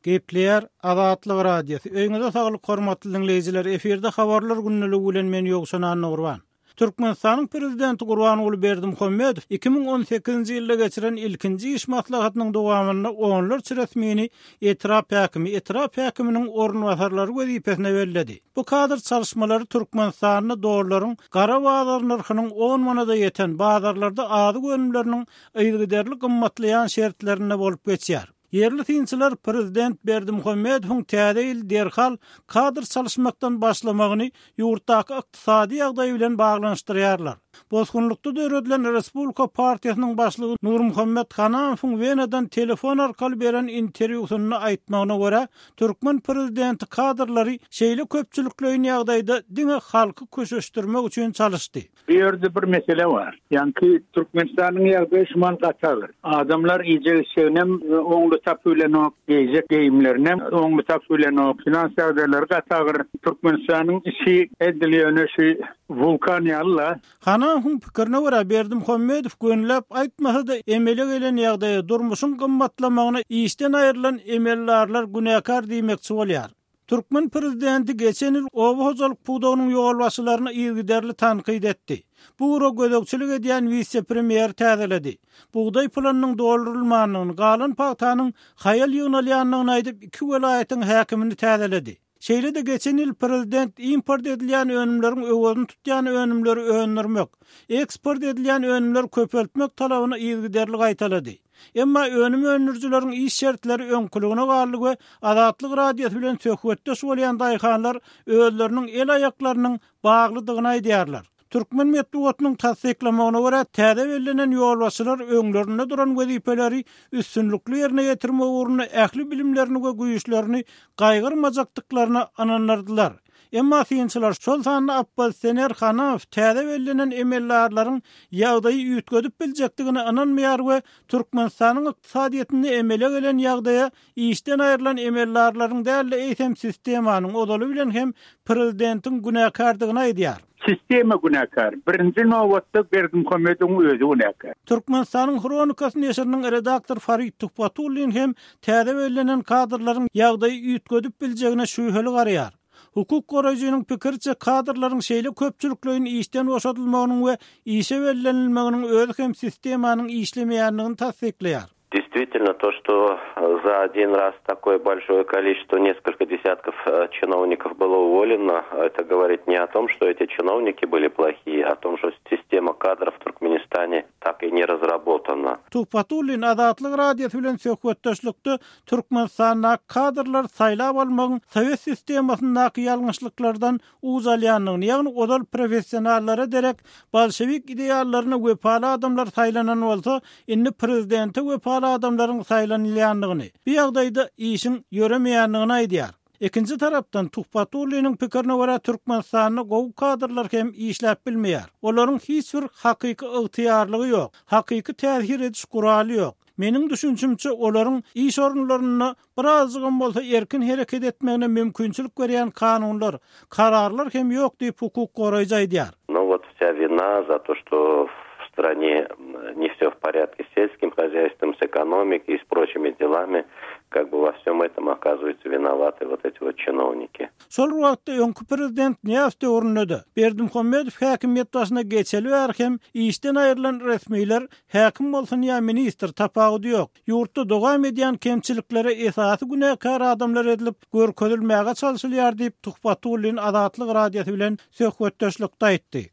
Gepleýär Azatlyk Radiosy. Öýüňize saglyk hormatly diňleýjiler. Efirde habarlar gündeligi bilen men Ýowşan Annagurban. Türkmenistanyň Prezidenti Gurbanguly Berdimuhamedow 2018-nji ýylda geçiren ilkinji iş maslahatynyň dowamynda onlarça resmini etrap häkimi, etrap häkiminiň orunbasarlary wezipesine belledi. Bu kadr çalyşmalary Türkmenistanda dollaryň gara bazar nyrhynyň on manada ýeten, bazarlarda azyk önümleriniň yzygiderli gymmatlaýan şertlerinde bolup geçýär. Ýerli synçylar prezident Berdimuhamedowyň täze ýyl derhal kadr çalyşmakdan başlamagyny ýurtdaky ykdysady ýagdaý bilen baglanyşdyrýarlar. Bosgunlykda döredilen Respublika partiýasynyň başlygy Nurmuhammet Hanamowyň Wenadan telefon arkaly beren interwýusynda aýtmagyna görä, türkmen prezidenti kadrlary şeýle köpçülikleýin ýagdaýda diňe halky köşeşdirmek üçin çalyşdy. Bu ýerde bir mesele bar. Ýaňky Türkmenistanyň ýagdaýy şumal gaty agyr. Adamlar iýjek-içjeginem oňly tapyp bilenok, geýjek geýimlerinem oňly tapyp bilenok. Finans ýagdaýlary gaty agyr. Türkmenistanyň içi edil ýöne şu wulkan ýaly-la. Hanamowyň pikirine görä, Berdimuhamedow gönüläp aýtmasa-da emele gelen ýagdaýa, durmuşyň gymmatlamagyna işden aýrylan emeldarlar günäkär diýmekçi bolýar. Türkmen prezidenti geçen ýyl oba hojalyk pudagynyň ýolbaşçylaryny yzygiderli tankyt etdi. Bu ugra gözegçilik edýän wise-premýeri täzeledi. Bugdaý planynyň doldurylmandygyny, galan pagtanyň haýal ýygnalýandygyny aýdyp, iki welaýatyň häkimini täzeledi. Şeýle-de geçen ýyl prezident import edilýän önümleriň öwezini tutýan önümleri öndürmek, eksport edilýän önümleri köpeltmek talabyny yzygiderli gaýtalady. Emma önüm öndürijileriň iş şertleri öňküligine galdy we Azatlyk Radiosy bilen söhbetdeş bolýan daýhanlar özleriniň el-aýaklarynyň baglydygyny aýdýarlar. Türkmen metbugatynyň tassyklamagyna görä, täze bellenen ýolbaşçylar öňlerinde duran wezipeleri üstünlikli ýerine ýetirmek ugrunda ähli bilimlerini we güýçlerini gaýgyrmajakdyklaryna ynandyrdylar. Emma synçylar, şol sanda oppozisioner Hanamow täze bellenen emeldarlaryň ýagdaýy üýtgedip biljekdigine ynanmaýar we Türkmenistanyň ykdysadyýetinde emele gelen ýagdaýa işden aýrylan emeldarlaryň däl-de, eýsem sistemanyň, ozaly bilen hem prezidentiň günäkärdigini aýdýar. Sistema günäkär. Birinji nobatda Berdimuhamedowyň özi günäkär. Türkmenistanyň Hronikasy neşiriniň redaktory Farid Tuhbatullin hem täze bellenen kadrlaryň ýagdaýy üýtgedip biljegine şübheli garaýar. Hukuk goraýjynyň pikiriçe, kadrlaryň şeýle köpçülikleýin işden boşadylmagynyň we işe bellenilmeginiň özi hem sistemanyň işlemeýändigini tassyklaýar. Действительно, то, что за один раз такое большое количество, несколько десятков э, чиновников было уволено, это говорит не о том, что эти чиновники были плохие, а о том, что система кадров в Туркменистане так и не разработана. Tuhbatullin Azatlyk Radiosy bilen söhbetdeşlikde Türkmenistanda kadrlary saýlap almagyň sowet sistemasyndaky ýalňyşlyklardan uç alýandygyny, ýagny ozal professionallara derek bolşewik ideallaryna wepaly adamlar saýlanan bolsa, indi prezidente wepaly adamlaryň saýlanylýandygyny, bu ýagdaýda işiň ýöremeýändigini aýdýar. Ikinji tarapdan, Tuhbatulliniň pikirine görä, Türkmenistanda gowy kadrlar hem işläp bilmeýär. Olaryň hiç bir hakyky ygtyýarlygy ýok, hakyky täsir ediş guraly ýok. Meniň düşünşimçe, olaryň iş orunlarynda birazjygam bolsa erkin hereket etmegine mümkinçilik berýän kanunlar, kararlar hem ýok diýip, hukuk goraýjy aýdýar. No vot vsya vina za to çto v strane ne vse v poryadke s selskim hozyajstvom, s ekonomikoy i s proçimi delami, kak by vo vsem etom okazyvaýutsa vinovaty vot eti vot çinovniki. Şol bir wagtda öňki prezident Nyýazow döwründe-de, Berdimuhamedow häkimiýet başyna geçeli bäri hem işden aýrylan resmiler Häkim bolsun ýa ministr, tapawudy ýok. Ýurtda dowam edýän kemçiliklere esasy günäkär adamlar edilip görkezilmäge çalşylýar diýip, Tuhbatullin Azatlyk Radiosy bilen söhbetdeşlikde aýtdy.